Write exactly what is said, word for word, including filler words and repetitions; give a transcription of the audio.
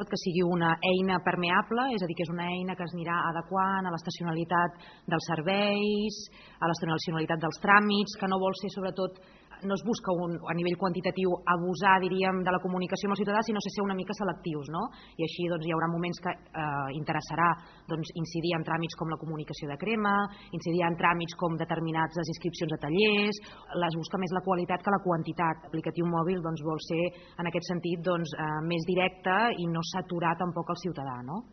que sigui una eina permeable, és a dir, que és una eina que es anirà adequant a l'estacionalitat dels serveis, a l'estacionalitat dels tràmits, que no vol ser sobretot, no es busca un, a nivell quantitatiu abusar, diríem, de la comunicació amb el ciutadà, sinó ser una mica selectius, no? I així doncs, hi haurà moments que eh, interessarà doncs, incidir en tràmits com la comunicació de crema, incidir en tràmits com determinats les inscripcions a tallers, es busca més la qualitat que la quantitat. L'aplicatiu mòbil doncs, vol ser, en aquest sentit, doncs, eh, més directe i no saturar tampoc el ciutadà, no?